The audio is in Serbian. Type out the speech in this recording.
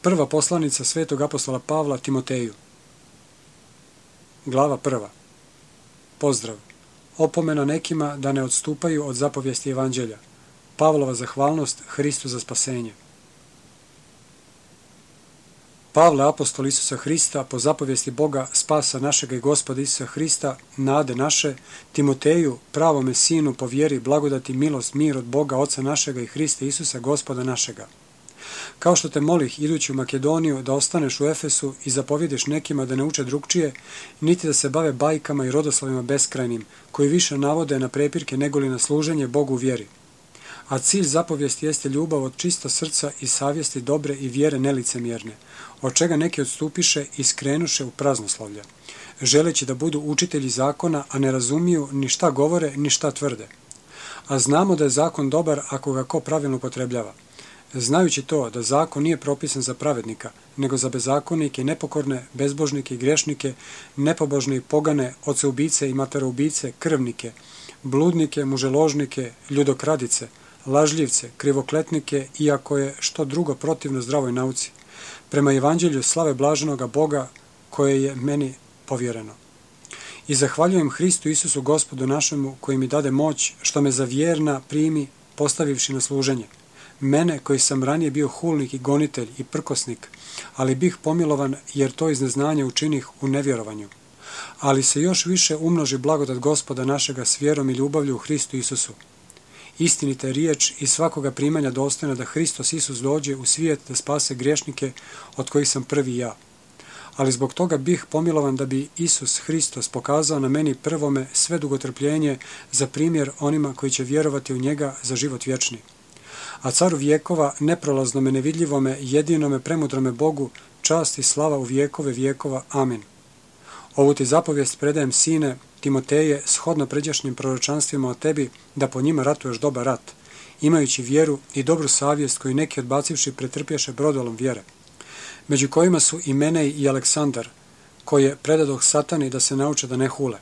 Prva poslanica svetog apostola Pavla Timoteju. Glava 1. Pozdrav. Opomena nekima da ne odstupaju od zapovijesti evanđelja. Pavlova zahvalnost Hristu za spasenje. Pavle, apostol Isusa Hrista, po zapovijesti Boga, spasa našega i Gospoda Isusa Hrista, nade naše, Timoteju, pravome sinu, po vjeri, blagodati, milost, mir od Boga, Oca našega i Hrista Isusa, Gospoda našega. Kao što te molih, idući u Makedoniju, da ostaneš u Efesu i zapovjediš nekima da ne uče drugčije, niti da se bave bajkama i rodoslovima beskrajnim, koji više navode na prepirke negoli na služenje Bogu u vjeri. A cilj zapovijesti jeste ljubav od čista srca i savjesti dobre i vjere nelicemjerne, od čega neki odstupiše i skrenuše u praznoslovlje, želeći da budu učitelji zakona, a ne razumiju ni šta govore, ni šta tvrde. A znamo da je zakon dobar ako ga ko pravilno upotrebljava. Znajući to da zakon nije propisan za pravednika, nego za bezakonike, nepokorne, bezbožnike i grešnike, nepobožne i pogane, oceubice i materoubice, krvnike, bludnike, muželožnike, ljudokradice, lažljivce, krivokletnike, iako je što drugo protivno zdravoj nauci, prema evanđelju slave blaženoga Boga koje je meni povjereno. I zahvaljujem Hristu Isusu Gospodu našemu koji mi dade moć što me za vjerna primi postavivši na služenje. Mene koji sam ranije bio hulnik i gonitelj i prkosnik, ali bih pomilovan jer to iz neznanja učinih u nevjerovanju. Ali se još više umnoži blagodat Gospoda našega s vjerom i ljubavlju u Hristu Isusu. Istinita je riječ i svakoga primanja dostojna da Hristos Isus dođe u svijet da spase griješnike od kojih sam prvi ja. Ali zbog toga bih pomilovan da bi Isus Hristos pokazao na meni prvome sve dugotrpljenje za primjer onima koji će vjerovati u njega za život vječni. A caru vjekova, neprolaznome, nevidljivome, jedinome, premudrome Bogu, čast i slava u vjekove vjekova. Amin. Ovu ti zapovijest predajem, sine Timoteje, shodno pređašnjim proročanstvima o tebi, da po njima ratuješ dobar rat, imajući vjeru i dobru savjest koju neki odbacivši pretrpješe brodolom vjere, među kojima su i Menej i Aleksandar, koje predadoh Satani da se nauče da ne hule.